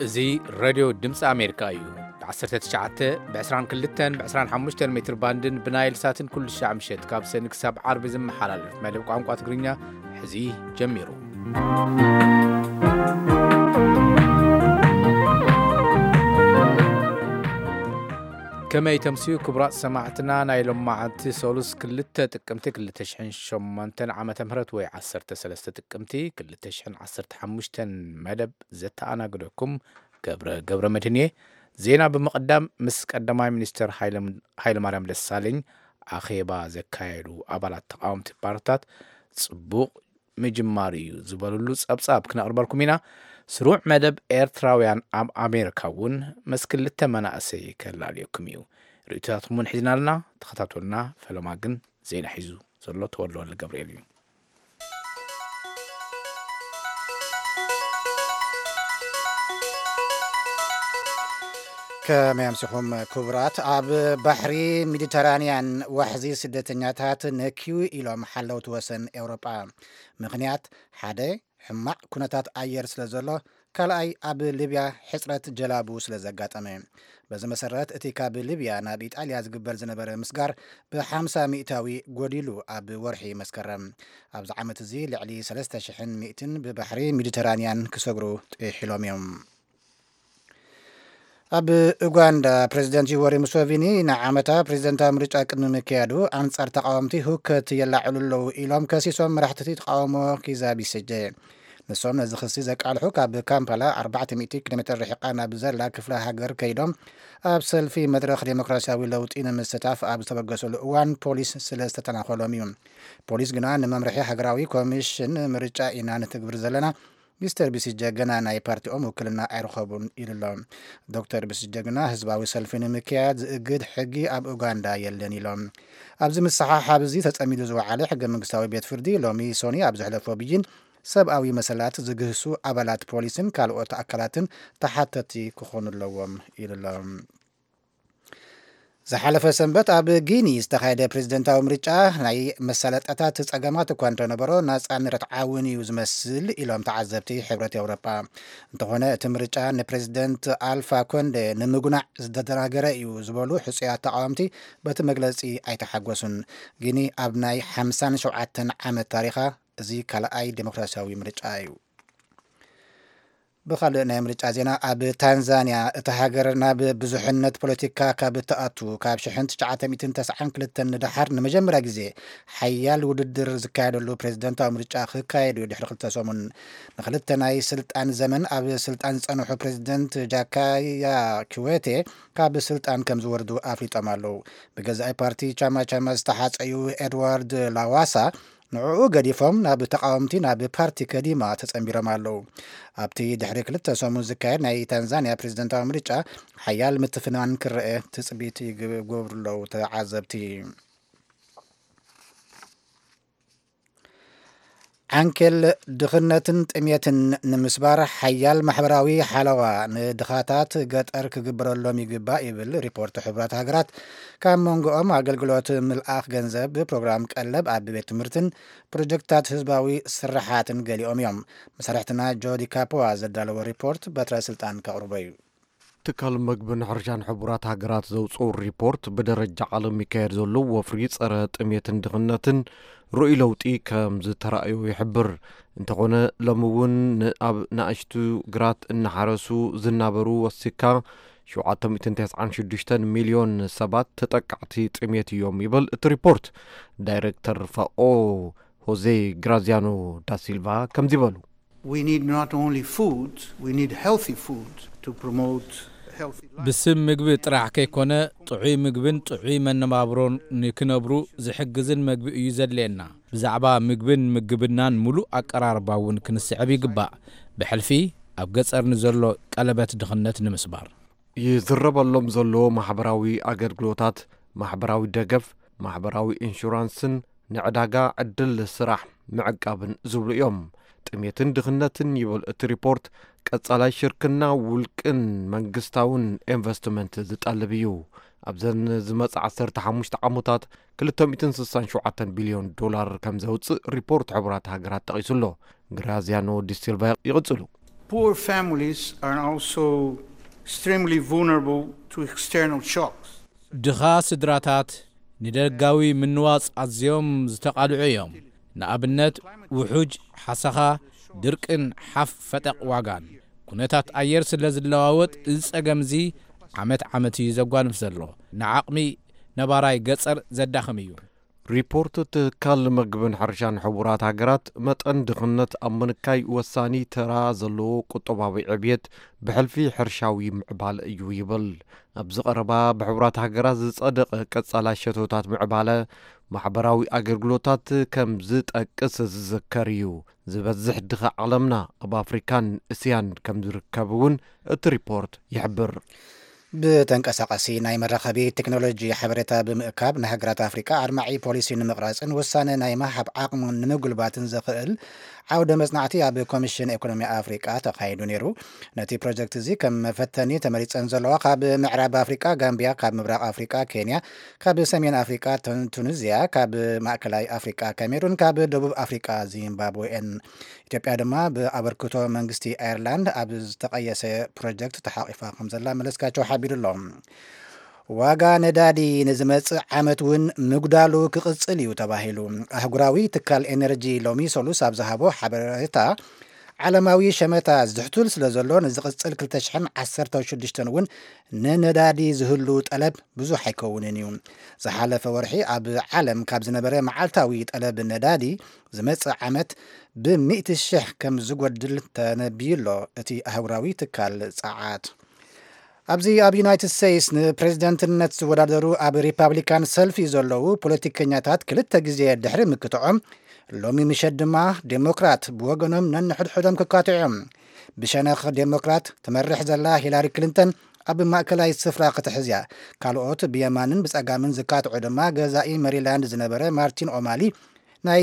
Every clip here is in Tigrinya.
እዚ ሬድዮ ድምፂ ኣሜሪካ እዩ። ብ19፣ ብ22፣ ብ25 ሜትር ባንድን ብናይል ሳትን ኩሉ ሻዕ ምሸት ካብ ሰኒ ክሳብ ዓርቢ ዝመሓላለፍ መደብ ቋንቋ ትግርኛ ሕዚ ጀሚሩ። ከመይ ተምስዩ ክቡራት ሰማዕትና፣ ናይ ሎማዓንቲ ሰሉስ ክልተ ጥቅምቲ ክልተ ሽሕን ሸሞንተን ዓመተ ምህረት ወይ ዓሰርተ ሰለስተ ጥቅምቲ ክልተ ሽሕን ዓሰርተ ሓሙሽተን መደብ ዘተኣናግደኩም ገብረ ገብረ መድህን እየ። ዜና ብምቕዳም ምስ ቀዳማይ ሚኒስትር ሃይለ-፣ ሃይለማርያም ደሳለኝ ኣኼባ ዘካየዱ ኣባላት ተቃወምቲ ፓርትታት ጽቡቕ ምጅማር እዩ ዝበሉሉ ጸብጻብ ክነቕርበልኩም ኢና። ስሩዕ መደብ ኤርትራውያን ኣብ ኣሜሪካ እውን ምስ ክልተ መናእሰይ ከላልየኩም እዩ። ርእይቶታትኩም እውን ሒዝና ኣለና። ተኸታተሉና። ፈለማ ግን ዜና ሒዙ ዘሎ ተወልደ ወልደ ገብርኤል እዩ። ከመይ ኣምሲኹም ክቡራት። ኣብ ባሕሪ ሜዲተራንያን ዋሕዚ ስደተኛታት ነክዩ ኢሎም ሓለውቲ ወሰን ኤውሮጳ። ምኽንያት ሓደ፣ ሕማቕ ኩነታት ኣየር ስለ ዘሎ፣ ካልኣይ ኣብ ሊብያ ሕጽረት ጀላቡ ስለ ዘጋጠመ። በዚ መሰረት እቲ ካብ ሊብያ ናብ ኢጣልያ ዝግበር ዝነበረ ምስጋር ብ50 ሚእታዊ ጎዲሉ ኣብ ወርሒ መስከረም። ኣብዚ ዓመት እዚ ልዕሊ ሰለስተ ሽሕን ሚእትን ብባሕሪ ሜዲተራንያን ክሰግሩ ጥሒሎም እዮም። ኣብ ኡጋንዳ ፕሬዚደንት ዩወሪ ሙሶቪኒ ንዓመታ ፕሬዚደንታዊ ምርጫ ቅድሚ ምክያዱ ኣንጻር ተቃወምቲ ሁከት የላዕሉ ኣለዉ ኢሎም ከሲሶም መራሕቲ ተቃውሞ ኪዛ ቢሲጀ። ንሶም ነዚ ክሲ ዘቃልሑ ካብ ካምፓላ ኣርባዕተ ሚእቲ ኪሎ ሜትር ርሒቓ ናብ ዘላ ክፍለ ሃገር ከይዶም ኣብ ሰልፊ መድረኽ ዴሞክራሲያዊ ለውጢ ንምስታፍ ኣብ ዝተበገሰሉ እዋን ፖሊስ ስለ ዝተተናኾሎም እዩ። ፖሊስ ግና ንመምርሒ ሃገራዊ ኮሚሽን ምርጫ ኢና ንትግብር ዘለና፣ ሚስተር ቢሲጀ ገና ናይ ፓርቲኦም ውክልና ኣይረኸቡን ኢሉ ኣሎ። ዶክተር ቢሲጀ ግና ህዝባዊ ሰልፊ ንምክያድ ዝእግድ ሕጊ ኣብ ኡጋንዳ የለን ኢሎም። ኣብዚ ምስሓሓብ እዚ ተጸሚዱ ዝወዓለ ሕገ መንግስታዊ ቤት ፍርዲ ሎሚ ሶኒ ኣብ ዘሕለፎ ብይን ሰብኣዊ መሰላት ዝግህሱ ኣባላት ፖሊስን ካልኦት ኣካላትን ተሓተቲ ክኾኑ ኣለዎም ኢሉ ኣሎ። ዝሓለፈ ሰንበት ኣብ ጊኒ ዝተኻየደ ፕሬዝደንታዊ ምርጫ ናይ መሳለጥያታት ጸገማት እኳ እንተነበሮ ናጻን ርትዓውን እዩ ዝመስል ኢሎም ተዓዘብቲ ሕብረት ኤውሮጳ። እንተኾነ እቲ ምርጫ ንፕሬዝደንት ኣልፋ ኮንደ ንምጉናዕ ዝተደናገረ እዩ ዝበሉ ሕጹያት ተቃወምቲ በቲ መግለጺ ኣይተሓጎሱን። ጊኒ ኣብ ናይ ሓምሳን ሸውዓተን ዓመት ታሪኻ እዚ ካልኣይ ዴሞክራሲያዊ ምርጫ እዩ። ብኻልእ ናይ ምርጫ ዜና፣ ኣብ ታንዛንያ እታ ሃገር ናብ ብዙሕነት ፖለቲካ ካብ እትኣቱ ካብ ሽሕን ትሽዓተ ሚእትን ተስዓን ክልተን ንደሓር ንመጀመርያ ግዜ ሓያል ውድድር ዝካየደሉ ፕሬዝደንታዊ ምርጫ ክካየድ እዩ ድሕሪ ክልተ ሰሙን። ንክልተ ናይ ስልጣን ዘመን ኣብ ስልጣን ዝጸንሑ ፕሬዝደንት ጃካያ ኪዌቴ ካብ ስልጣን ከም ዝወርዱ ኣፍሊጦም ኣለዉ። ብገዛኢ ፓርቲ ቻማ ቻማ ዝተሓጸዩ ኤድዋርድ ላዋሳ ንዕኡ ገዲፎም ናብ ተቃወምቲ ናብ ፓርቲ ከዲማ ተጸንቢሮም ኣለዉ። ኣብቲ ድሕሪ ክልተ ሰሙን ዝካየድ ናይ ታንዛንያ ፕሬዝደንታዊ ምርጫ ሓያል ምትፍናን ክረአ ትጽቢት ይገብሩ ኣለዉ ተዓዘብቲ። ዓንኬል ድኽነትን ጥሜትን ንምስባር ሓያል ማሕበራዊ ሓለዋ ንድኻታት ገጠር ክግበረሎም ይግባእ ይብል ሪፖርት ሕቡራት ሃገራት። ካብ መንጎኦም ኣገልግሎት ምልኣኽ ገንዘብ፣ ፕሮግራም ቀለብ ኣብ ቤት ትምህርትን ፕሮጀክትታት ህዝባዊ ስራሓትን ገሊኦም እዮም። መሳርሕትና ጆዲ ካፖዋ ዘዳለዎ ሪፖርት በትረ ስልጣን ከቕርቦ እዩ። ትካል መግብን ሕርሻን ሕቡራት ሃገራት ዘውፅኡ ሪፖርት ብደረጃ ዓለም ይካየድ ዘሎ ወፍሪ ፀረ ጥሜትን ድኽነትን ርኡይ ለውጢ ከም ዝተራእዮ ይሕብር። እንተኾነ ሎሚ እውን ን-፣ ኣብ ንኣሽቱ ግራት እናሓረሱ ዝናበሩ ወሲካ ሸውዓተ ሚእትን ተስዓን ሽዱሽተን ሚልዮን ሰባት ተጠቃዕቲ ጥሜት እዮም ይብል እቲ ሪፖርት። ዳይሬክተር ፋኦ ሆዜ ግራዚያኖ ዳሲልቫ ከምዚ በሉ። We need not only food, we need healthy food to promote healthy life. ብስም ምግቢ ጥራሕ ከይኮነ ጥዑይ ምግብን ጥዑይ መነባብሮን ንክነብሩ ዝሕግዝን መግቢ እዩ ዘድልየና። ብዛዕባ ምግብን ምግብናን ሙሉእ ኣቀራርባ እውን ክንስዕብ ይግባእ። ብሕልፊ ኣብ ገጸር ንዘሎ ቀለበት ድኽነት ንምስባር። ይዝረበሎም ዘሎ ማሕበራዊ ኣገልግሎታት፣ ማሕበራዊ ደገፍ፣ ማሕበራዊ ኢንሹራንስን ንዕዳጋ ዕድል ስራሕ ምዕቃብን ዝብሉ እዮም። ጥሜትን ድኽነትን ይብል እቲ ሪፖርት፣ ቀጻላይ ሽርክና ውልቅን መንግስታውን ኢንቨስትመንት ዝጠልብ እዩ። ኣብዘን ዝመጽእ ዓሰርተ ሓሙሽተ ዓመታት ክልተ ሚእትን ስሳን ሸውዓተን ቢልዮን ዶላር ከም ዘውጽእ ሪፖርት ሕቡራት ሃገራት ጠቒሱ ኣሎ። ግራዚያኖ ዲሲልቫ ይቕጽሉ። Poor families are also extremely vulnerable to external shocks. ድኻ ስድራታት ንደጋዊ ምንዋጽ ኣዝዮም ዝተቓልዑ እዮም። ንኣብነት፣ ውሑጅ፣ ሓሰኻ፣ ድርቅን ሓፍ ፈጠቕ ዋጋን። ኩነታት ኣየር ስለ ዝለዋወጥ፣ እዚ ጸገም እዚ ዓመት ዓመት እዩ ዘጓንፍ ዘሎ። ንዓቕሚ ነባራይ ገጸር ዘዳኽም እዩ። ሪፖርት ትካል መግብን ሕርሻን ሕቡራት ሃገራት፣ መጠን ድኽነት ኣብ ምንካይ ወሳኒ ተራ ዘለዎ ቁጠባዊ ዕብየት ብሕልፊ ሕርሻዊ ምዕባለ እዩ ይብል። ኣብዚ ቀረባ ብሕቡራት ሃገራት ዝጸደቐ ቀጻላይ ሸቶታት ምዕባለ ማሕበራዊ ኣገልግሎታት ከም ዝጠቅስ ዝዝከር እዩ። ዝበዝሕ ድኻ ዓለምና ኣብ ኣፍሪካን እስያን ከም ዝርከብ እውን እቲ ሪፖርት ይሕብር። ብተንቀሳቐሲ ናይ መራኸቢ ቴክኖሎጂ ሓበሬታ ብምእካብ፣ ንሃገራት ኣፍሪቃ ኣድማዒ ፖሊሲ ንምቕራጽን ውሳነ ናይ ምሃብ ዓቕሞን ንምጉልባትን ዘኽእል ዓውደ መጽናዕቲ ኣብ ኮሚሽን ኢኮኖሚ ኣፍሪቃ ተኻይዱ ነይሩ። ነቲ ፕሮጀክት እዚ ከም መፈተኒ ተመሪጸን ዘለዋ ካብ ምዕራብ ኣፍሪቃ ጋምቢያ፣ ካብ ምብራቕ ኣፍሪቃ ኬንያ፣ ካብ ሰሜን ኣፍሪቃ ቱን-፣ ቱኒዝያ፣ ካብ ማእከላይ ኣፍሪቃ ካሜሩን፣ ካብ ደቡብ ኣፍሪቃ ዚምባብዌ እየን። ኢትዮጵያ ድማ ብኣበርክቶ መንግስቲ ኣየርላንድ ኣብ ዝተቐየሰ ፕሮጀክት ተሓቒፋ ከም ዘላ መለስካቸው ሓቢሩ ኣሎ። ዋጋ ነዳዲ ንዝመጽእ ዓመት እውን ምጉዳሉ ክቕጽል እዩ ተባሂሉ። ኣህጉራዊ ትካል ኤነርጂ ሎሚ ሰሉስ ኣብ ዝሃቦ ሓበሬታ፣ ዓለማዊ ሸመታ ዝሕቱል ስለ ዘሎ፣ ንዝቕጽል ክልተ ሽሕን ዓሰርተ ሽዱሽተን እውን ንነዳዲ ዝህሉ ጠለብ ብዙሕ ኣይከውንን እዩ። ዝሓለፈ ወርሒ ኣብ ዓለም ካብ ዝነበረ መዓልታዊ ጠለብ ነዳዲ ዝመጽእ ዓመት ብሚእቲ ሽሕ ከም ዝጎድል ተነብዩ ኣሎ እቲ ኣህጉራዊ ትካል ጸዓት። ኣብዚ ኣብ ዩናይትድ ስቴትስ ንፕሬዝደንትነት ዝወዳደሩ ኣብ ሪፓብሊካን ሰልፊ ዘለዉ ፖለቲከኛታት ክልተ ግዜ ድሕሪ ምክትዖም፣ ሎሚ ምሸት ድማ ዴሞክራት ብወገኖም ነንሕድሕዶም ክካትዑ እዮም። ብሸነኽ ዴሞክራት ትመርሕ ዘላ ሂላሪ ክሊንተን ኣብ ማእከላይ ስፍራ ክትሕዝ እያ። ካልኦት ብየማንን ብጸጋምን ዝካትዑ ድማ ገዛኢ መሪላንድ ዝነበረ ማርቲን ኦማሊ፣ ናይ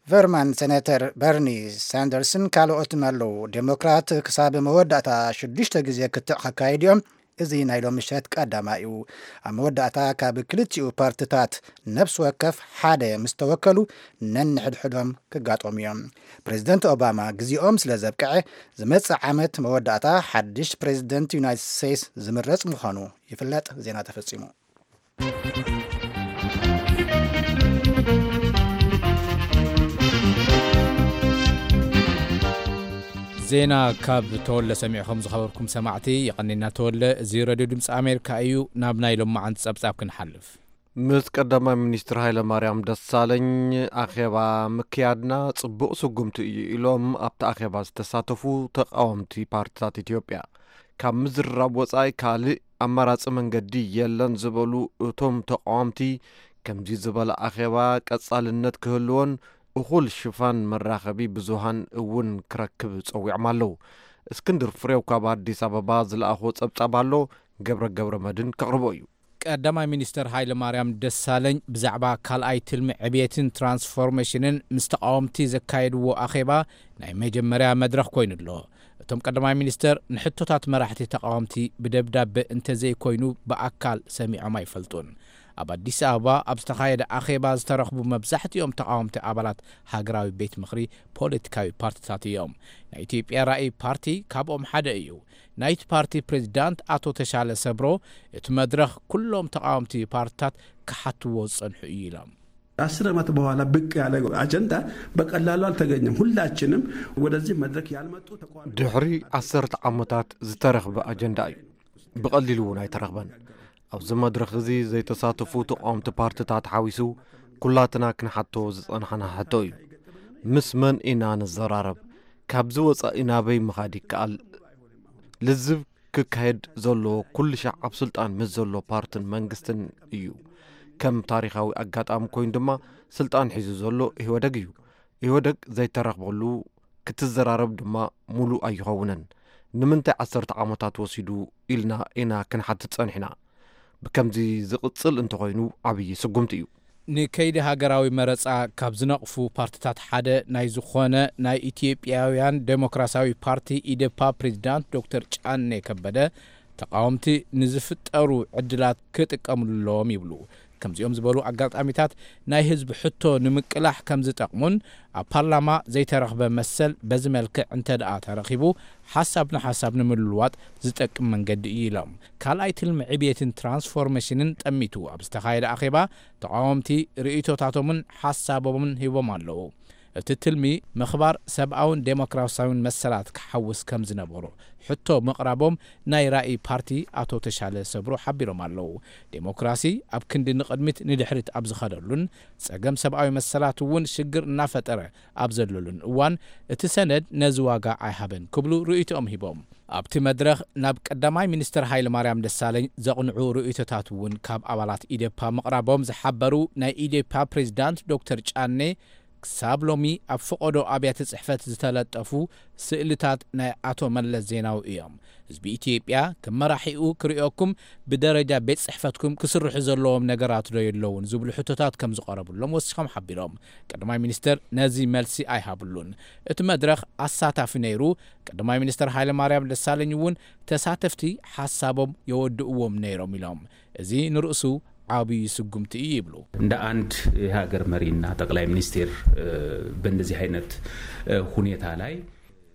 ቨርማንት ሴኔተር በርኒ ሳንደርስን ካልኦትን ኣለዉ። ዴሞክራት ክሳብ መወዳእታ ሽዱሽተ ግዜ ክትዕ ከካይድ እዮም። እዚ ናይ ሎሚ ምሸት ቀዳማይ እዩ። ኣብ መወዳእታ ካብ ክልቲኡ ፓርትታት ነፍሲ ወከፍ ሓደ ምስ ተወከሉ ነንሕድሕዶም ክጋጠሙ እዮም። ፕሬዝደንት ኦባማ ግዜኦም ስለ ዘብቅዐ፣ ዝመጽእ ዓመት መወዳእታ ሓድሽ ፕሬዝደንት ዩናይትድ ስቴትስ ዝምረጽ ምዃኑ ይፍለጥ። ዜና ተፈጺሙ። ዜና ካብ ተወለ ሰሚዕኹም ዝኸበርኩም ሰማዕቲ፣ የቐኒና ተወለ። እዚ ሬድዮ ድምፂ ኣሜሪካ እዩ። ናብ ናይ ሎማዓንቲ ጸብጻብ ክንሓልፍ። ምስ ቀዳማይ ሚኒስትር ሃይለማርያም ደሳለኝ ኣኼባ ምክያድና ጽቡቕ ስጉምቲ እዩ ኢሎም ኣብቲ ኣኼባ ዝተሳተፉ ተቃወምቲ ፓርትታት ኢትዮጵያ። ካብ ምዝርራብ ወጻኢ ካልእ ኣማራጺ መንገዲ የለን ዝበሉ እቶም ተቃወምቲ፣ ከምዚ ዝበለ ኣኼባ ቀጻልነት ክህልዎን እኹል ሽፋን መራኸቢ ብዙሃን እውን ክረክብ ጸዊዖም ኣለዉ። እስክንድር ፍሬው ካብ ኣዲስ ኣበባ ዝለኣኾ ጸብጻብ ኣሎ፣ ገብረ ገብረ መድን ከቕርቦ እዩ። ቀዳማይ ሚኒስተር ሃይለ ማርያም ደሳለኝ ብዛዕባ ካልኣይ ትልሚ ዕብየትን ትራንስፎርሜሽንን ምስ ተቓወምቲ ዘካየድዎ ኣኼባ ናይ መጀመርያ መድረኽ ኮይኑ ኣሎ። እቶም ቀዳማይ ሚኒስተር ንሕቶታት መራሕቲ ተቓወምቲ ብደብዳበ እንተዘይኮይኑ ብኣካል ሰሚዖም ኣይፈልጡን። ኣብ ኣዲስ ኣበባ ኣብ ዝተኻየደ ኣኼባ ዝተረኽቡ መብዛሕትኦም ተቓወምቲ ኣባላት ሃገራዊ ቤት ምኽሪ ፖለቲካዊ ፓርቲታት እዮም። ናይ ኢትዮጵያ ራእይ ፓርቲ ካብኦም ሓደ እዩ። ናይቲ ፓርቲ ፕሬዚዳንት ኣቶ ተሻለ ሰብሮ፣ እቲ መድረኽ ኩሎም ተቓወምቲ ፓርቲታት ክሓትዎ ዝጸንሑ እዩ ኢሎም። አስር ዓመት በኋላ ብቅ ያለ አጀንዳ በቀላሉ አልተገኘም። ሁላችንም ወደዚህ መድረክ ያልመጡ ተቃዋሚ ድሕሪ ዓሰርተ ዓመታት ዝተረኽበ ኣጀንዳ እዩ። ብቐሊሉ እውን ኣይተረኽበን። ኣብዚ መድረኽ እዚ ዘይተሳተፉ ተቃወምቲ ፓርትታት ሓዊሱ ኩላትና ክንሓቶ ዝጸናሕና ሕቶ እዩ። ምስ መን ኢና ንዘራረብ? ካብዚ ወጻኢ ናበይ ምኻድ ይከኣል? ልዝብ ክካየድ ዘለዎ ኩሉ ሻዕ ኣብ ስልጣን ምስ ዘሎ ፓርትን መንግስትን እዩ። ከም ታሪኻዊ ኣጋጣሚ ኮይኑ ድማ ስልጣን ሒዙ ዘሎ ኢህወደግ እዩ። ኢህወደግ ዘይተረኽበሉ ክትዘራረብ ድማ ሙሉእ ኣይኸውንን። ንምንታይ ዓሰርተ ዓመታት ወሲዱ ኢልና ኢና ክንሓትት ጸኒሕና። ብከምዚ ዝቕጽል እንተኾይኑ ዓብዪ ስጉምቲ እዩ። ንከይዲ ሃገራዊ መረጻ ካብ ዝነቕፉ ፓርትታት ሓደ ናይ ዝኾነ ናይ ኢትዮጵያውያን ዴሞክራሲያዊ ፓርቲ፣ ኢዴፓ፣ ፕሬዚዳንት ዶክተር ጫኔ ከበደ፣ ተቃወምቲ ንዝፍጠሩ ዕድላት ክጥቀምሉ ኣለዎም ይብሉ። ከምዚኦም ዝበሉ ኣጋጣሚታት ናይ ህዝቢ ሕቶ ንምቅላሕ ከም ዝጠቕሙን ኣብ ፓርላማ ዘይተረኽበ መሰል በዚ መልክዕ እንተ ደኣ ተረኺቡ ሓሳብ ንሓሳብ ንምልዋጥ ዝጠቅም መንገዲ እዩ ኢሎም። ካልኣይ ትልሚ ዕብየትን ትራንስፎርሜሽንን ጠሚቱ ኣብ ዝተኻየደ ኣኼባ ተቃወምቲ ርእይቶታቶምን ሓሳቦምን ሂቦም ኣለዉ። እቲ ትልሚ ምኽባር ሰብኣውን ዴሞክራሲያውን መሰላት ክሓውስ ከም ዝነበሮ ሕቶ ምቕራቦም ናይ ራእይ ፓርቲ ኣቶ ተሻለ ሰብሩ ሓቢሮም ኣለዉ። ዴሞክራሲ ኣብ ክንዲ ንቕድሚት ንድሕሪት ኣብ ዝኸደሉን ጸገም ሰብኣዊ መሰላት እውን ሽግር እናፈጠረ ኣብ ዘለሉን እዋን እቲ ሰነድ ነዚ ዋጋ ኣይሃበን ክብሉ ርእይቶኦም ሂቦም። ኣብቲ መድረኽ ናብ ቀዳማይ ሚኒስትር ሃይለ ማርያም ደሳለኝ ዘቕንዑ ርእይቶታት እውን ካብ ኣባላት ኢዴፓ ምቕራቦም ዝሓበሩ ናይ ኢዴፓ ፕሬዚዳንት ዶክተር ጫኔ፣ ክሳብ ሎሚ ኣብ ፈቐዶ ኣብያተ ጽሕፈት ዝተለጠፉ ስእልታት ናይ ኣቶ መለስ ዜናዊ እዮም። ህዝቢ ኢትዮጵያ ክመራሒኡ ክርእየኩም ብደረጃ ቤት ጽሕፈትኩም ክስርሑ ዘለዎም ነገራት ዶ የለውን ዝብሉ ሕቶታት ከም ዝቐረብሎም ወሲኾም ሓቢሮም። ቀዳማይ ሚኒስትር ነዚ መልሲ ኣይሃብሉን። እቲ መድረኽ ኣሳታፊ ነይሩ። ቀዳማይ ሚኒስትር ሃይለ ማርያም ደሳለኝ እውን ተሳተፍቲ ሓሳቦም የወድእዎም ነይሮም ኢሎም። እዚ ንርእሱ ዓብዪ ስጉምቲ እዩ ይብሉ። እንደ አንድ የሀገር መሪና ጠቅላይ ሚኒስቴር በእንደዚህ አይነት ሁኔታ ላይ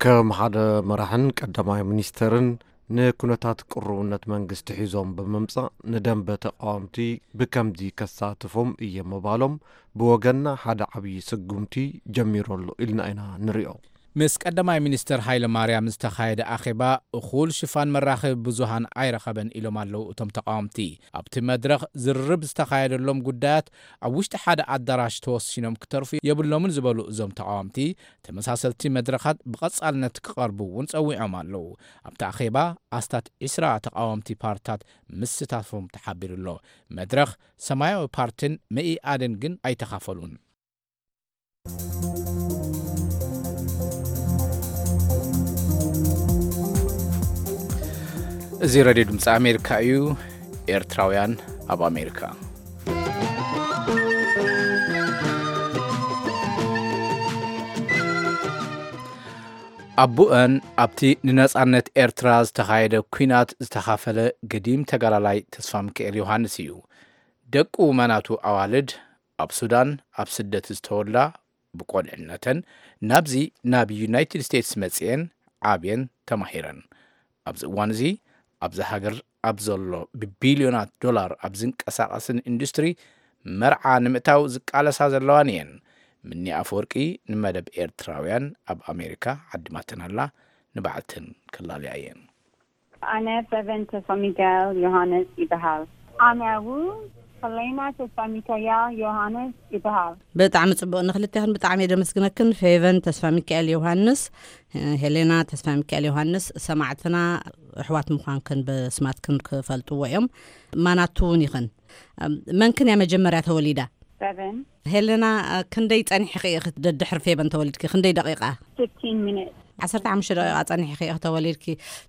ከም ሓደ መራሕን ቀዳማይ ሚኒስተርን ንኩነታት ቅሩብነት መንግስቲ ሒዞም ብምምጻእ ንደንበ ተቃወምቲ ብከምዚ ከሳትፎም እየ ምባሎም ብወገንና ሓደ ዓብዪ ስጉምቲ ጀሚሩ ኣሎ ኢልና ኢና ንሪኦ። ምስ ቀዳማይ ሚኒስትር ሃይለ ማርያም ዝተኻየደ ኣኼባ እኹል ሽፋን መራኸቢ ብዙሃን ኣይረኸበን ኢሎም ኣለዉ እቶም ተቃወምቲ። ኣብቲ መድረኽ ዝርርብ ዝተኻየደሎም ጉዳያት ኣብ ውሽጢ ሓደ ኣዳራሽ ተወሲኖም ክተርፉ የብሎምን ዝበሉ እዞም ተቃወምቲ፣ ተመሳሰልቲ መድረኻት ብቐጻልነት ክቐርቡ እውን ጸዊዖም ኣለዉ። ኣብቲ ኣኼባ ኣስታት ዒስራ ተቃወምቲ ፓርትታት ምስታፎም ተሓቢሩ ኣሎ። መድረኽ፣ ሰማያዊ ፓርትን መኢኣድን ግን ኣይተኻፈሉን። እዚ ሬድዮ ድምፂ ኣሜሪካ እዩ። ኤርትራውያን ኣብ ኣሜሪካ። ኣቡአን ኣብቲ ንነጻነት ኤርትራ ዝተኻየደ ኲናት ዝተኻፈለ ገዲም ተጋላላይ ተስፋ ሚካኤል ዮሃንስ እዩ። ደቁ መናቱ ኣዋልድ ኣብ ሱዳን ኣብ ስደት ዝተወልዳ ብቆልዕነተን ናብዚ ናብ ዩናይትድ ስቴትስ መጽኤን ዓብየን ተማሂረን። ኣብዚ እዋን እዚ ኣብዛ ሃገር ኣብ ዘሎ ብቢልዮናት ዶላር ኣብ ዝንቀሳቐስን ኢንዱስትሪ መርዓ ንምእታው ዝቃለሳ ዘለዋን እየን። ምኒ ኣፈወርቂ ንመደብ ኤርትራውያን ኣብ ኣሜሪካ ዓዲማተን ኣላ። ንባዕልተን ከላልያ እየን። ኣነ ፌቨን ተስፋ ሚካኤል ዮሃንስ ይበሃል። ኣነ እውን ሄሌና ተስፋ ሚካኤል ዮሃንስ ይበሃል። ብጣዕሚ ጽቡቕ። ንኽልቴኽን ብጣዕሚ እየ ደመስግነክን። ፌቨን ተስፋ ሚካኤል ዮሃንስ፣ ሄሌና ተስፋ ሚካኤል ዮሃንስ፣ ሰማዕትና ኣሕዋት ምዃንክን ብስማትክን ክፈልጥዎ እዮም። ማናቱ እውን ይኽን። መንክን እያ መጀመርያ ተወሊዳ? ፌቨን። ሄሌና፣ ክንደይ ጸኒሕኺ ኢኺ ደድሕሪ ፌቨን ተወሊድኪ? ክንደይ ደቂቃ? Fifteen minutes. ዓሰርተ ሓሙሽተ ደቂቃ ጸኒሕኺ ኢኺ ተወሊድኪ።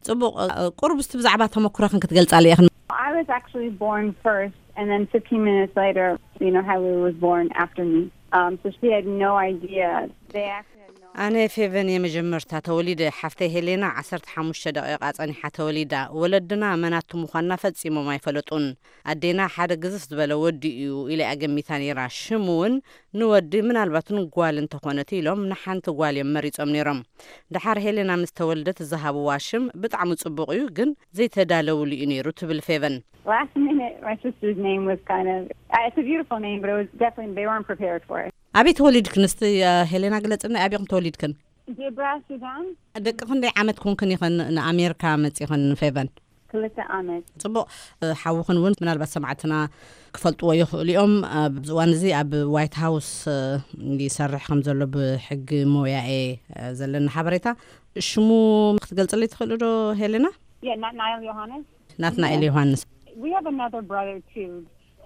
ጽቡቕ። ቁሩብ እስቲ ብዛዕባ ተመኩሮኽን ክትገልጻለይ ኢኽን? I was actually born first, and then fifteen minutes later, you know, Hailey was born after me. Um, so she had no idea. They actually had no ኣነ ፌቨን እየ መጀመርታ ተወሊደ። ሓፍተይ ሄሌና ዓሰርተ ሓሙሽተ ደቂቃ ጸኒሓ ተወሊዳ። ወለድና መናቱ ምዃንና ፈጺሞም ኣይፈለጡን። ኣዴና ሓደ ግዝፍ ዝበለ ወዲ እዩ ኢላ እያ ገሚታ ነይራ። ሽም እውን ንወዲ ምናልባት ንጓል እንተኾነት ኢሎም ንሓንቲ ጓል እዮም መሪጾም ነይሮም። ደሓር ሄሌና ምስ ተወልደት ዝሃብዋ ሽም ብጣዕሚ ጽቡቕ እዩ፣ ግን ዘይተዳለውሉ እዩ ነይሩ ትብል ፌቨን። Last minute, my sister's name was kind of, uh, it's a beautiful name, but it was definitely, they weren't prepared for it. ኣበይ ተወሊድክን? እስቲ ሄሌና ግለጽና፣ ኣበይኹም ተወሊድክን? ጀብራ ሱዳን። ደቂ ክንደይ ዓመት ኮንክን ኢኸን ንኣሜሪካ መጺኽን ፌቨን? ክልተ ዓመት። ጽቡቕ። ሓውኽን እውን ምናልባት ሰማዕትና ክፈልጥዎ ይኽእሉ እዮም። ኣብዚ እዋን እዚ ኣብ ዋይት ሃውስ ይሰርሕ ከም ዘሎ ብሕጊ ሞያኤ ዘለና ሓበሬታ። ሽሙ ክትገልጽልይ ትኽእሉ ዶ ሄሌና? Yeah, ናትናኤል ዮሃንስ። ናትናኤል ዮሃንስ። We have another brother too.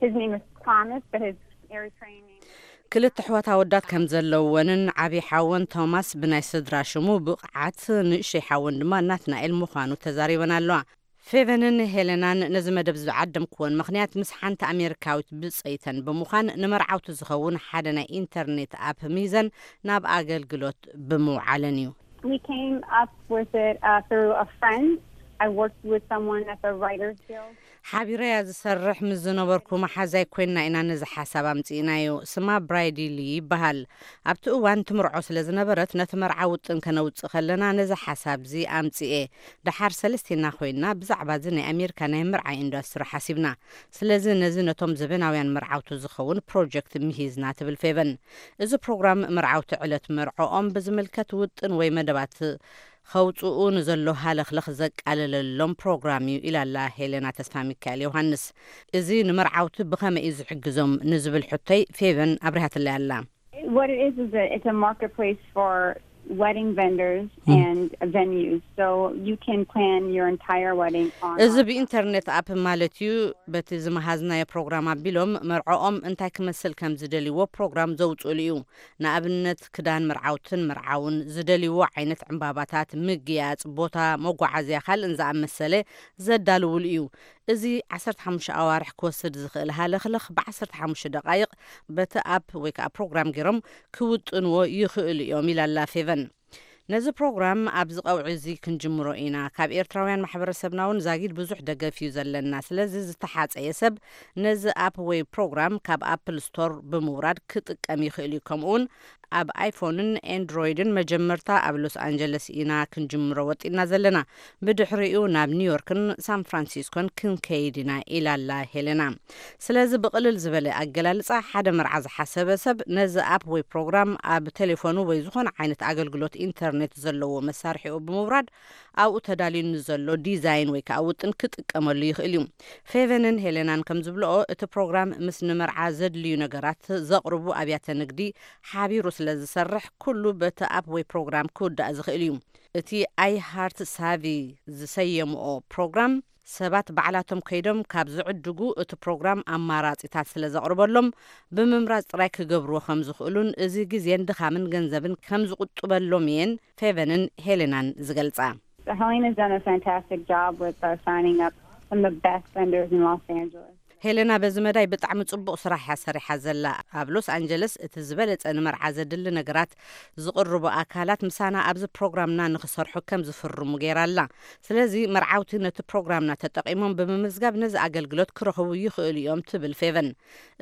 His name is Thomas, but his Eritrean name. ክልተ ኣሕዋት ኣወዳት ከም ዘለወንን ዓብዪ ሓወን ቶማስ ብናይ ስድራ ሽሙ ብቕዓት፣ ንእሽተይ ሓወን ድማ ናትናኤል ምዃኑ ተዛሪበን ኣለዋ። ፌቨንን ሄለናን ነዚ መደብ ዝዓደምክወን ምኽንያት፣ ምስ ሓንቲ ኣሜሪካዊት ብጸይተን ብምዃን፣ ንመርዓውቲ ዝኸውን ሓደ ናይ ኢንተርኔት ኣፕ ሚዘን ናብ ኣገልግሎት ብምውዓለን እዩ። We came up with it, uh, through a friend. I worked with someone at the Writers Guild. ሓቢረያ ዝሰርሕ ምስ ዝነበርኩ መሓዛይ ኮይንና ኢና ነዚ ሓሳብ ኣምጺእናዮ። ስማ ብራይዲ ሊ ይበሃል። ኣብቲ እዋን ትምርዖ ስለ ዝነበረት፣ ነቲ መርዓ ውጥን ከነውጽእ ከለና ነዚ ሓሳብዚ ኣምጺኤ። ደሓር ሰለስቴና ኮይንና ብዛዕባ እዚ ናይ ኣሜሪካ ናይ ምርዓ ኢንዱስትሪ ሓሲብና። ስለዚ ነዚ ነቶም ዘበናውያን መርዓውቲ ዝኸውን ፕሮጀክት ምሂዝና፣ ትብል ፌቨን። እዚ ፕሮግራም መርዓውቲ ዕለት መርዖኦም ብዝምልከት ውጥን ወይ መደባት ከውጽኡ ንዘሎ ሃለኽለኽ ዘቃለለሎም ፕሮግራም እዩ፣ ኢላላ ሄለና ተስፋ ሚካኤል ዮሃንስ። እዚ ንመርዓውቲ ብኸመይ እዩ ዝሕግዞም ንዝብል ሕቶይ፣ ፌቨን ኣብሪሃትለይ ኣላ። What it is is that it's a marketplace for wedding vendors Mm. and venues, so you can plan your entire wedding on እዚ our ብኢንተርኔት ኣፕ ማለት እዩ። በቲ ዝመሃዝናዮ ፕሮግራም ኣቢሎም መርዖኦም እንታይ ክመስል ከም ዝደልይዎ ፕሮግራም ዘውፅእሉ እዩ። ንኣብነት ክዳን መርዓውትን መርዓውን፣ ዝደልይዎ ዓይነት ዕምባባታት፣ ምግያፅ፣ ቦታ፣ መጓዓዝያ ካልእን ዝኣመሰለ ዘዳልውሉ እዩ። እዚ ዓሰርተ ሓሙሽተ ኣዋርሕ ክወስድ ዝኽእል ሃለኽለኽ ብ15 ደቓይቕ በቲ ኣፕ ወይ ከዓ ፕሮግራም ገይሮም ክውጥንዎ ይኽእሉ እዮም፣ ኢላላ ፌቨን። ነዚ ፕሮግራም ኣብዚ ቀውዒ እዚ ክንጅምሮ ኢና። ካብ ኤርትራውያን ማሕበረሰብና እውን ዛጊድ ብዙሕ ደገፍ እዩ ዘለና። ስለዚ ዝተሓጸየ ሰብ ነዚ ኣፕ ወይ ፕሮግራም ካብ ኣፕል ስቶር ብምውራድ ክጥቀም ይኽእል እዩ። ከምኡውን ኣብ ኣይፎንን ኤንድሮይድን መጀመርታ ኣብ ሎስ ኣንጀለስ ኢና ክንጅምሮ ወጢና ዘለና። ብድሕሪኡ ናብ ኒውዮርክን ሳን ፍራንሲስኮን ክንከይድ ኢና፣ ኢላላ ሄለና። ስለዚ ብቕልል ዝበለ ኣገላልጻ፣ ሓደ መርዓ ዝሓሰበ ሰብ ነዚ ኣፕ ወይ ፕሮግራም ኣብ ቴሌፎኑ ወይ ዝኾነ ዓይነት ኣገልግሎት ኢንተርኔት ዘለዎ መሳርሒኡ ብምውራድ፣ ኣብኡ ተዳልዩ ንዘሎ ዲዛይን ወይ ከዓ ውጥን ክጥቀመሉ ይኽእል እዩ። ፌቨንን ሄለናን ከም ዝብልኦ፣ እቲ ፕሮግራም ምስ ንመርዓ ዘድልዩ ነገራት ዘቕርቡ ኣብያተ ንግዲ ሓቢሩ ስለ ዝሰርሕ፣ ኩሉ በቲ ኣፕ ወይ ፕሮግራም ክውዳእ ዝኽእል እዩ። እቲ ኣይ ሃርት ሳቪ ዝሰየምኦ ፕሮግራም፣ ሰባት ባዕላቶም ከይዶም ካብ ዝዕድጉ፣ እቲ ፕሮግራም ኣማራጺታት ስለ ዘቕርበሎም፣ ብምምራጽ ጥራይ ክገብርዎ ከም ዝኽእሉን፣ እዚ ግዜን ድኻምን ገንዘብን ከም ዝቁጥበሎም እየን ፌቨንን ሄሌናን ዝገልጻ። Helena's done a fantastic job with, uh, signing up some of the best vendors in Los Angeles. ሄሌና በዚ መዳይ ብጣዕሚ ጽቡቕ ስራሕ እያ ሰሪሓ ዘላ። ኣብ ሎስ ኣንጀለስ እቲ ዝበለጸ ንመርዓ ዘድሊ ነገራት ዝቕርቡ ኣካላት ምሳና ኣብዚ ፕሮግራምና ንኽሰርሑ ከም ዝፍርሙ ገይራ ኣላ። ስለዚ መርዓውቲ ነቲ ፕሮግራምና ተጠቒሞም ብምምዝጋብ ነዚ ኣገልግሎት ክረኽቡ ይኽእሉ እዮም፣ ትብል ፌቨን።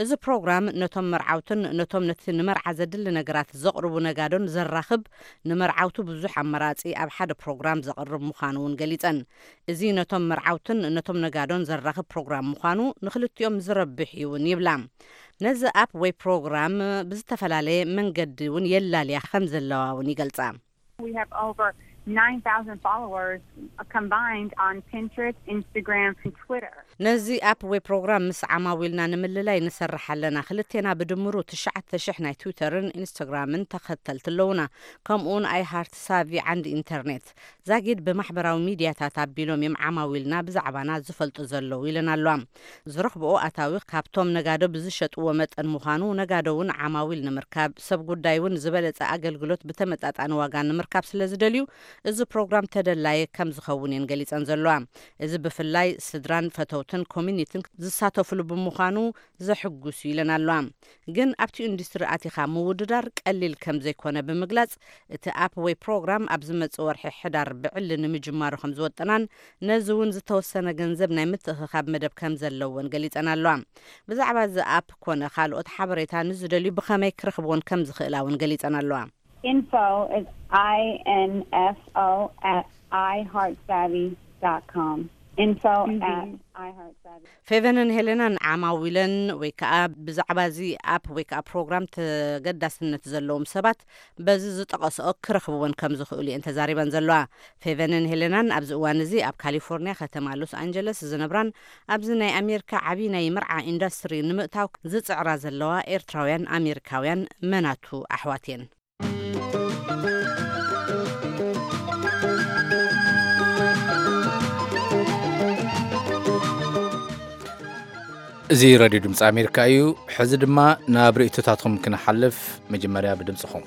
እዚ ፕሮግራም ነቶም መርዓውትን ነቶም ነቲ ንመርዓ ዘድሊ ነገራት ዘቕርቡ ነጋዶን ዘራኽብ፣ ንመርዓውቲ ብዙሕ ኣማራጺ ኣብ ሓደ ፕሮግራም ዘቕርብ ምዃኑ እውን ገሊጸን። እዚ ነቶም መርዓውትን ነቶም ነጋዶን ዘራኽብ ፕሮግራም ምዃኑ፣ ንኽልቲኦም ዝረብሕ እዩ እውን ይብላ። ነዚ ኣፕ ወይ ፕሮግራም ብዝተፈላለየ መንገዲ እውን የላልያ ከም ዘለዋ እውን ይገልጻ። We have over nine thousand followers combined on Pinterest, Instagram, and Twitter. ነዚ ኣፕ ወይ ፕሮግራም ምስ ዓማዊልና ንምልላይ ንሰርሕ ኣለና። ክልቴና ብድምሩ ትሽዓተ ሽሕ ናይ ትዊተርን ኢንስታግራምን ተኸተልቲ ኣለውና። ከምኡውን ኣይ ሃርት ሳቪ ዓንዲ ኢንተርኔት። ዛጊድ ብማሕበራዊ ሚድያታት ኣቢሎም እዮም ዓማዊልና ብዛዕባና ዝፈልጡ ዘለዉ፣ ኢለን ኣለዋ። ዝረኽብኦ ኣታዊ ካብቶም ነጋዶ ብዝሸጥዎ መጠን ምዃኑ፣ ነጋዶ እውን ዓማዊል ንምርካብ፣ ሰብ ጉዳይ እውን ዝበለጸ ኣገልግሎት ብተመጣጣኒ ዋጋ ንምርካብ ስለ ዝደልዩ፣ እዚ ፕሮግራም ተደላየ ከም ዝኸውን እየን ገሊጸን ዘለዋ። እዚ ብፍላይ ስድራን ፈተውትን ኮሚኒቲን ዝሳተፉሉ ብምዃኑ ዘሕጉስ እዩ፣ ኢለን ኣለዋ። ግን ኣብቲ ኢንዱስትሪ ኣቲኻ ምውድዳር ቀሊል ከም ዘይኮነ ብምግላጽ፣ እቲ ኣፕ ወይ ፕሮግራም ኣብ ዝመጽእ ወርሒ ሕዳር ብዕሊ ንምጅማሩ ከም ዝወጠናን፣ ነዚ እውን ዝተወሰነ ገንዘብ ናይ ምትእኽኻብ መደብ ከም ዘለወን ገሊጸን ኣለዋ። ብዛዕባ እዚ ኣፕ ኮነ ካልኦት ሓበሬታ ንዝደልዩ ብኸመይ ክረኽብዎን ከም ዝኽእላ እውን ገሊጸን ኣለዋ። Info is I N F O at I heart savvy dot com. Info Mhm. at I heart savvy. ፌቨንን ሄሌናን ዓማዊለን ወይ ከዓ ብዛዕባ እዚ ኣፕ ወይ ከዓ ፕሮግራም ተገዳስነት ዘለዎም ሰባት በዚ ዝጠቐስኦ ክረኽብወን ከም ዝኽእሉ እየን ተዛሪበን ዘለዋ። ፌቨንን ሄሌናን ኣብዚ እዋን እዚ ኣብ ካሊፎርኒያ ከተማ ሎስ ኣንጀለስ ዝነብራን ኣብዚ ናይ ኣሜሪካ ዓብዪ ናይ መርዓ ኢንዱስትሪ ንምእታው ዝጽዕራ ዘለዋ ኤርትራውያን ኣሜሪካውያን መናቱ ኣሕዋት እየን። እዚ ሬድዮ ድምፂ ኣሜሪካ እዩ። ሕዚ ድማ ናብ ርእይቶታትኩም ክንሓልፍ፣ መጀመርያ ብድምፅኹም።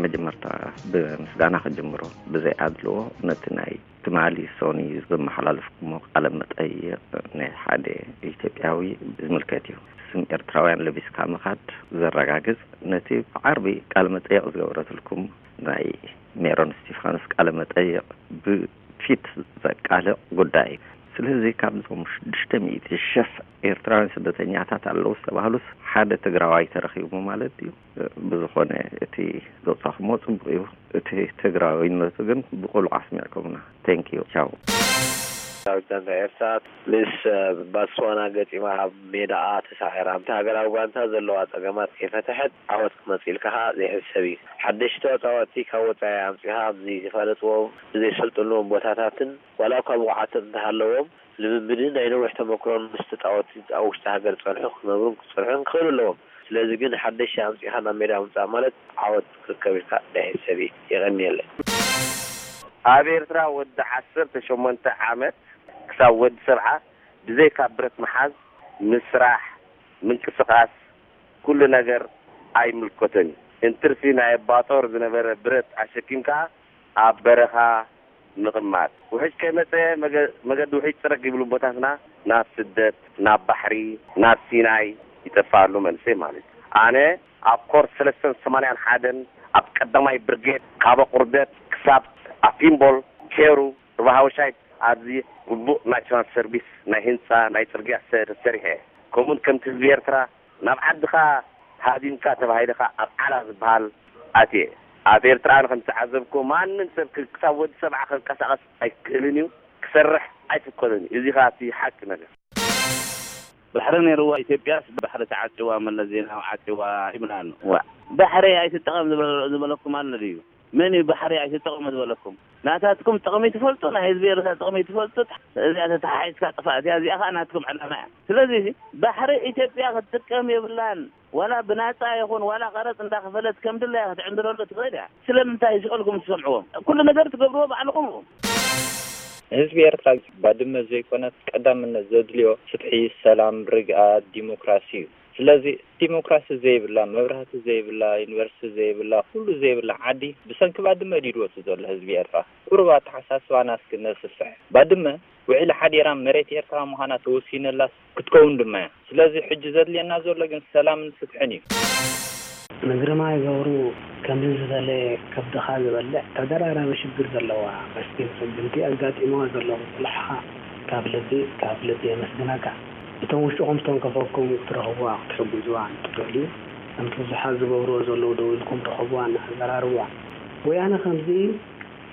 መጀመርታ ብምስጋና ክጅምሮ፣ ብዘይ ኣድልዎ ነቲ ናይ ትማሊ ሶኒ ዘመሓላለፍኩሞ ቃለ መጠይቕ ናይ ሓደ ኢትዮጵያዊ ዝምልከት እዩ። ስም ኤርትራውያን ለቢስካ ምኻድ ዘረጋግጽ፣ ነቲ ብዓርቢ ቃለ መጠይቕ ዝገበረትልኩም ናይ ሜሮን እስቲፋኖስ ቃለ መጠይቕ ብፊት ዘቃልዕ ጉዳይ እዩ። ስለዚ ካብዞም ሽዱሽተ ሚእቲ ሽሕ ኤርትራውያን ስደተኛታት ኣለዉ ዝተባህሉስ ሓደ ትግራዋይ ተረኺቡ ማለት ድዩ? ብዝኾነ እቲ ዘውጻኹሞ ጽቡቕ እዩ። እቲ ትግራዊነቱ ግን ብቑሉዕ ኣስሚዕኩምና። Thank you። ቻው። ዳዊት ጋንታ ኤርትራ ምስ ባትስዋና ገጢማ ኣብ ሜዳኣ ተሳዒራ፣ ኣብቲ ሃገራዊ ጋንታ ዘለዋ ጸገማት ከይፈትሐት ዓወት ክመጽእ ኢልካ ከኣ ዘይሕሰብ እዩ። ሓደሽቲ ተጻወትቲ ካብ ወጻኢ ኣምጺኻ ኣብ ዘይተፋለጥዎም፣ ዘይሰልጠንዎም ቦታታትን ዋላ እኳ ብቑዓት እንተሃለዎም፣ ልምምድን ናይ ነዊሕ ተመክሮን ምስ ተጻወትቲ ኣብ ውሽጢ ሃገር ዝጸንሑ ክነብሩን ክጸንሑን ክኽእሉ ኣለዎም። ስለዚ ግን ሓደሽቲ ኣምጺኻ ናብ ሜዳ ምምጻእ ማለት ዓወት ክርከብ ኢልካ ዳይሕሰብ እዩ። የቐንየለይ። ኣብ ኤርትራ ወዲ ዓሰርተ ሸሞንተ ዓመት ክሳብ ወዲ ሰብዓ ብዘይካ ብረት ምሓዝ፣ ምስራሕ፣ ምንቅስቓስ፣ ኩሉ ነገር ኣይምልከቶን እዩ። እንትርፊ ናይ ኣባጦር ዝነበረ ብረት ኣሸኪምካ ኣብ በረኻ ምቕማጥ። ውሕጅ ከይመጸ መገ-፣ መገዲ ውሕጅ ጽረግ ይብሉ ኣቦታትና ናብ ስደት፣ ናብ ባሕሪ፣ ናብ ሲናይ ይጠፍኣሉ መንእሰይ ማለት እዩ። ኣነ ኣብ ኮርስ ሰለስተን ሰማንያን ሓደን ኣብ ቀዳማይ ብርጌድ ካብ ኣቑርደት ክሳብ ኣፊምቦል ኬሩ ሩባ ሃወሻይ ኣብዚ ግቡእ ናሽናል ሰርቪስ ናይ ህንጻ ናይ ጽርግያ ሰ-፣ ተሰሪሐ። ከምኡን ከምቲ ህዝቢ ኤርትራ ናብ ዓድኻ ሃዲምካ ተባሂልኻ ኣብ ዓላ ዝበሃል ኣትየ። ኣብ ኤርትራ ኣነ ከም ዝተዓዘብኩ ማንም ሰብ ክ-፣ ክሳብ ወዲ ሰብዓ ክንቀሳቐስ ኣይክእልን እዩ። ክሰርሕ ኣይፍቀዶን እዩ። እዚ ኸኣ እቲ ሓቂ ነገር። ባሕሪ ነይርዋ ኢትዮጵያስ ባሕሪ ተዓጽዋ፣ መለስ ዜናዊ ዓጽዋ ይብላሉ። ዋ፣ ባሕሪ ኣይትጠቐም ዝበለ-፣ ዝበለኩም ኣሎ ድዩ? መን እዩ ባሕሪ ኣይትጠቐሙ ዝበለኩም? ናታትኩም ጥቕሚ ትፈልጡ፣ ናይ ህዝቢ ኤርትራ ጥቕሚ ትፈልጡ። እዚኣ ተተሓሒዝካ ጥፋእ እያ። እዚኣ ኸኣ ናትኩም ዕላማ እያ። ስለዚ ባሕሪ ኢትዮጵያ ክትጥቀም የብላን። ዋላ ብናጻ ይኹን ዋላ ቀረጽ እንዳኸፈለት ከም ድላያ ክትዕንድረሉ ትኽእል እያ። ስለምንታይ ሽቐልኩም ትሰምዕዎም? ኩሉ ነገር ትገብርዎ ባዕልኹም ኢኹም። ንህዝቢ ኤርትራ ባድመ ዘይኮነት ቀዳምነት ዘድልዮ ፍትሒ፣ ሰላም፣ ርግኣት፣ ዲሞክራሲ እዩ። ስለዚ ዲሞክራሲ ዘይብላ፣ መብራህቲ ዘይብላ፣ ዩኒቨርሲቲ ዘይብላ፣ ኩሉ ዘይብላ ዓዲ ብሰንኪ ባድመ ድዩ ዝወጽእ ዘሎ ህዝቢ ኤርትራ? ቁሩብ ኣተሓሳስባና እስኪ ነስፍሕ። ባድመ ውዒላ ሓዲራ መሬት ኤርትራ ምዃና ተወሲነላስ ክትከውን ድማ እያ። ስለዚ ሕጂ ዘድልየና ዘሎ ግን ሰላምን ፍትሕን እዩ። ንግርማይ ገብሩ ከምዚ ዝበለ ከብድኻ ዝበልዕ ተደራራቢ ሽግር ዘለዋ መስኪን ስጉምቲ ኣጋጢምዋ ዘሎ ምጽንሓኻ ካብ ልቢ፣ ካብ ልቢ የመስግነካ። እቶም ውሽጥኹም ዝተንከፈኩም ክትረኽብዋ፣ ክትሕግዝዋ እንትትኽእሉ፣ ከምቲ ብዙሓት ዝገብርዎ ዘለዉ ደው ኢልኩም ርኸብዋን ኣዘራርብዋን። ወያነ ከምዚ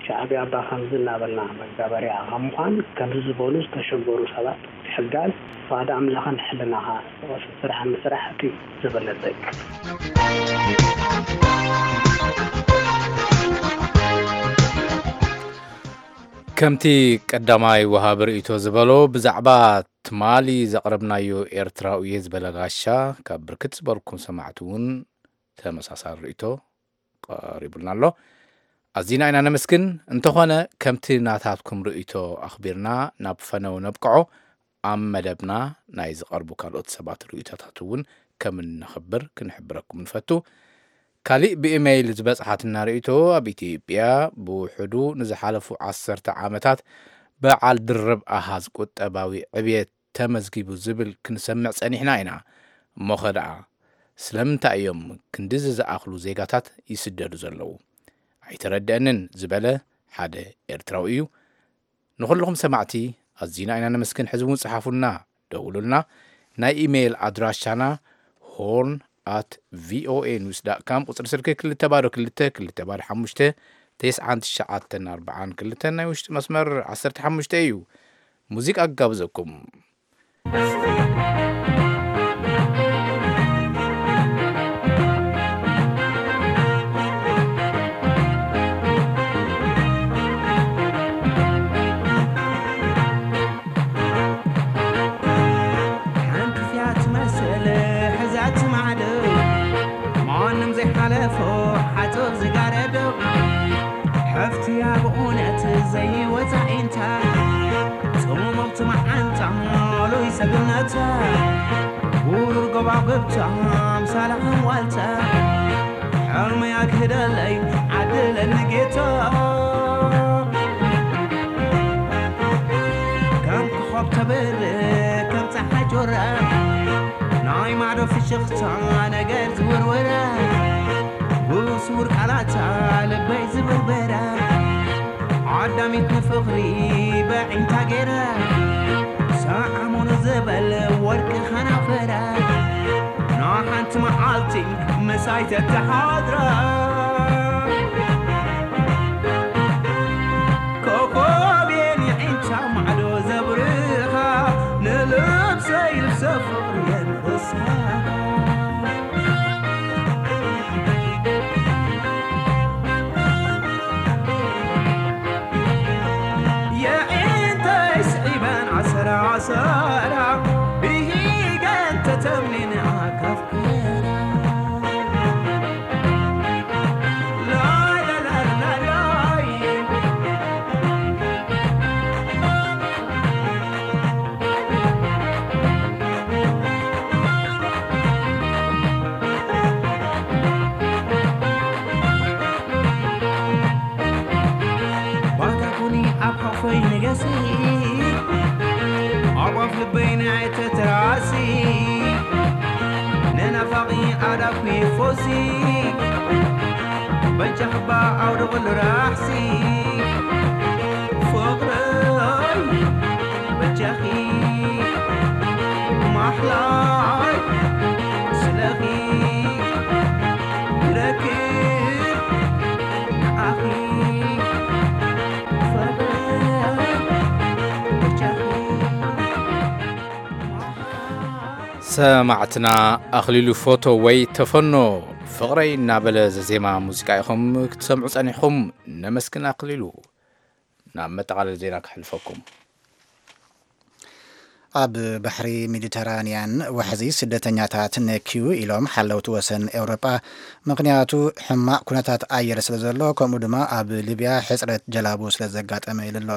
ሻዕብያ እባ ከምዚ እናበልና መጋበርያ ካብ ምዃን፣ ከምዚ ዝበሉ ዝተሸገሩ ሰባት ምሕጋዝ፣ ፍቓድ ኣምላኽን ሕልናኻ ዝቐስብ ስራሕ ምስራሕ እቲ ዝበለጸ እዩ። ከምቲ ቀዳማይ ወሃቢ ርእይቶ ዝበሎ፣ ብዛዕባ ትማሊ ዘቕረብናዮ ኤርትራዊ እየ ዝበለ ጋሻ፣ ካብ ብርክት ዝበልኩም ሰማዕቲ እውን ተመሳሳሊ ርእይቶ ቀሪቡልና ኣሎ። ኣዚና ኢና ነመስግን። እንተኾነ፣ ከምቲ ናታትኩም ርእይቶ ኣኽቢርና ናብ ፈነው ነብቅዖ፣ ኣብ መደብና ናይ ዝቐርቡ ካልኦት ሰባት ርእይቶታት እውን ከም እነኽብር ክንሕብረኩም ንፈቱ። ካሊእ ብኢሜይል ዝበጽሓትና ርእይቶ፣ ኣብ ኢትዮጵያ ብውሕዱ ንዝሓለፉ ዓሰርተ ዓመታት በዓል ድርብ ኣሃዝ ቁጠባዊ ዕብየት ተመዝጊቡ ዝብል ክንሰምዕ ጸኒሕና ኢና። እሞኸ ደኣ ስለምንታይ እዮም ክንድዚ ዝኣኽሉ ዜጋታት ይስደዱ ዘለዉ? ኣይተረድአንን ዝበለ ሓደ ኤርትራዊ እዩ። ንኹልኹም ሰማዕቲ ኣዚና ኢና ነመስግን። ሕዚ እውን ጽሓፉልና፣ ደውሉልና። ናይ ኢሜይል ኣድራሻና ሆርን ኣት ቪኦኤ ኒውስ ዳት ካም፣ ቁጽሪ ስልኪ ክልተ ባዶ ክልተ ክልተ ባዶ ሓሙሽተ ተስዓን ትሽዓተን ኣርባዓን ክልተን፣ ናይ ውሽጢ መስመር ዓሰርተ ሓሙሽተ እዩ። ሙዚቃ ክጋብዘኩም። ሓንቲ እያ ትመስል ሕዛት ማዕዶ፣ ማንም ዘይሓለፎ ሓጹር ዝጋረዶ። ሓፍትያ ብእውነት ዘይወጻኢንታ፣ ጽሙምቲ መዓንጣ፣ ሉይ ሰግነታ፣ ውሩር ጎባጉብታ፣ ኣምሳላ ከም ዋልታ። ኣርመይ ኣግህደለይ ዓድለኒ ጌታ። ከም ኮኾብ ተብርህ ከም ጸሓይ ጆራ፣ ናይ ማዶ ፍሽኽታ ነገር ዝውርወራ፣ ብስውር ቃላታ ልበይ ዝብርበራ፣ ዓዳሚት ንፍቕሪ በዒንታ ገይራ፣ ሰዓሙኒ ዝበል ወርቂ ኸናፈራ፣ ንሓንቲ መዓልቲ ምሳይ ተተሓድራ። ኮኾብ የን የዒንታ ማዕዶ ዘብርኻ፣ ንልብሰይ ልብሰ ፍቕሪ የንርስኻ። የዒንተይ ስዒበን ዓሰራ ዓሰራ፣ ብሂገን ተተምኒን ኣካፍከራ። ላላላላላይ። ባታ ኩኒ ኣብ ሓፈይ ንገሲ፣ ኣብ ኣፍ ልበይ ንኣይ ተትራሲ፣ ንናፋቒ ኣዳኩ ይፎሲ፣ በጃኽባ ኣውደቕሉ ራሕሲ፣ ፍቕረይ በጃኺ ማሕላይ ስለኺ ይረክብ ንዓኺ ፍቕረይ በጃኺ ማሕላይ። ሰማዕትና ኣኽሊሉ ፎቶ ወይ ተፈኖ ፍቕረይ እናበለ ዘዜማ ሙዚቃ ኢኹም ክትሰምዑ ጸኒሕኹም። ነመስግን ኣኽሊሉ። ናብ መጠቓለሊ ዜና ከሕልፈኩም። ኣብ ባሕሪ ሜዲተራንያን ዋሕዚ ስደተኛታት ነክዩ ኢሎም ሓለውቲ ወሰን ኤውሮጳ፣ ምኽንያቱ ሕማቕ ኩነታት ኣየር ስለ ዘሎ፣ ከምኡ ድማ ኣብ ሊብያ ሕጽረት ጀላቡ ስለ ዘጋጠመ ኢሉ ኣሎ።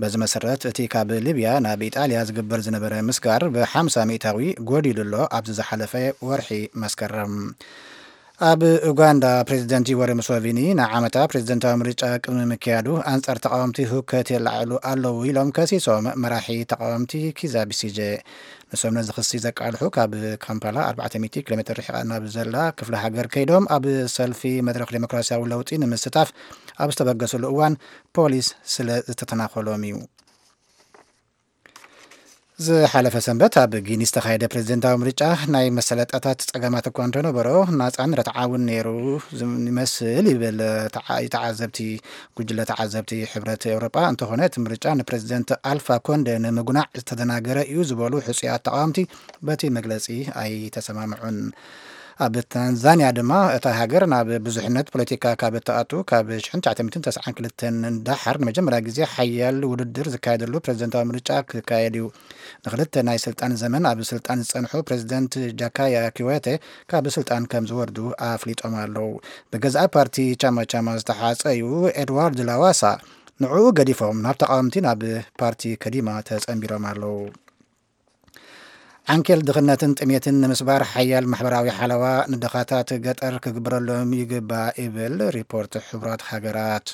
በዚ መሰረት፣ እቲ ካብ ሊብያ ናብ ኢጣልያ ዝግበር ዝነበረ ምስጋር ብ50% ጎዲሉ ኣሎ፣ ኣብዚ ዝሓለፈ ወርሒ መስከረም። ኣብ ኡጋንዳ፣ ፕሬዚደንት ዩወሪ ሙሶቪኒ ንዓመታ ፕሬዚደንታዊ ምርጫ ቅድሚ ምክያዱ፣ ኣንጻር ተቓወምቲ ህውከት የለዓዕሉ ኣለዉ ኢሎም ከሲሶም መራሒ ተቓወምቲ ኪዛ ቢሲጀ። ንሶም ነዚ ክሲ ዘቃልሑ ካብ ካምፓላ ኣርባዕተ ሚእቲ ኪሎ ሜትር ርሒቓ ናብ ዘላ ክፍለ ሃገር ከይዶም፣ ኣብ ሰልፊ መድረኽ ዴሞክራሲያዊ ለውጢ ንምስታፍ ኣብ ዝተበገስሉ እዋን ፖሊስ ስለ ዝተተናኾሎም እዩ። ዝሓለፈ ሰንበት ኣብ ጊኒ ዝተኻየደ ፕሬዚደንታዊ ምርጫ ናይ መሰለጣታት ጸገማት እኳ እንተነበሮ፣ ናጻን ርትዓውን ነይሩ ዝም-፣ ይመስል ይብል ተዓ-፣ ተዓዘብቲ፣ ጉጅለ ተዓዘብቲ ሕብረት ኤውሮጳ። እንተኾነ፣ እቲ ምርጫ ንፕሬዚደንት ኣልፋ ኮንደ ንምጉናዕ ዝተደናገረ እዩ ዝበሉ ሕጹያት ተቓወምቲ በቲ መግለጺ ኣይተሰማምዑን። ኣብ ታንዛንያ ድማ፣ እታ ሃገር ናብ ብዙሕነት ፖለቲካ ካብ እትኣቱ ካብ ሽሕን ትሽዓተ ሚእትን ተስዓን ክልተን ንደሓር፣ ንመጀመርያ ግዜ ሓያል ውድድር ዝካየደሉ ፕሬዚደንታዊ ምርጫ ክካየድ እዩ። ንክልተ ናይ ስልጣን ዘመን ኣብ ስልጣን ዝጸንሑ ፕሬዚደንት ጃካያ ኪወቴ ካብ ስልጣን ከም ዝወርዱ ኣፍሊጦም ኣለዉ። ብገዛኢ ፓርቲ ቻማ ቻማ ዝተሓጸዩ ኤድዋርድ ላዋሳ ንዕኡ ገዲፎም ናብ ተቓወምቲ ናብ ፓርቲ ከዲማ ተጸንቢሮም ኣለዉ። ዓንኬል ድኽነትን ጥሜትን ንምስባር ሓያል ማሕበራዊ ሓለዋ ንድኻታት ገጠር ክግበረሎም ይግባእ ይብል ሪፖርት ሕቡራት ሃገራት።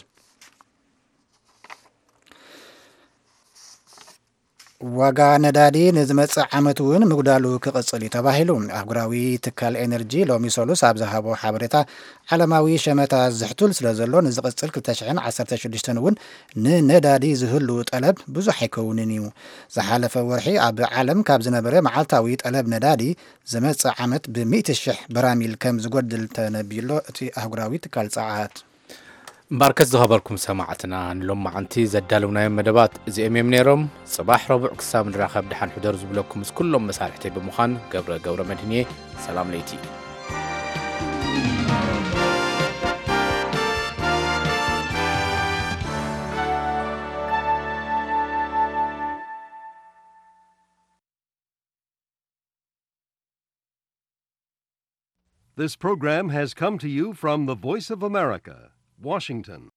ዋጋ ነዳዲ ንዝመጽእ ዓመት እውን ምጉዳሉ ክቕጽል እዩ ተባሂሉ። ኣህጉራዊ ትካል ኤነርጂ ሎሚ ሰሉስ ኣብ ዝሃቦ ሓበሬታ፣ ዓለማዊ ሸመታ ዝሕቱል ስለ ዘሎ፣ ንዝቕጽል ክልተ ሽሕን ዓሰርተ ሽዱሽተን እውን ንነዳዲ ዝህሉ ጠለብ ብዙሕ ኣይከውንን እዩ። ዝሓለፈ ወርሒ ኣብ ዓለም ካብ ዝነበረ መዓልታዊ ጠለብ ነዳዲ ዝመጽእ ዓመት ብሚእቲ ሽሕ በራሚል ከም ዝጎድል ተነቢዩሎ እቲ ኣህጉራዊ ትካል ጸዓት። እምበኣርከስ ዝኸበርኩም ሰማዕትና፣ ንሎማዓንቲ ዘዳለውናዮም መደባት እዚኦም እዮም ነይሮም። ጽባሕ ረቡዕ ክሳብ ንራኸብ ደሓን ሕደሩ ዝብለኩም ምስ ኩሎም መሳርሕተይ ብምዃን ገብረ ገብረ መድህን እየ። ሰላም ለይቲ። This program has come to you from the Voice of America, Washington.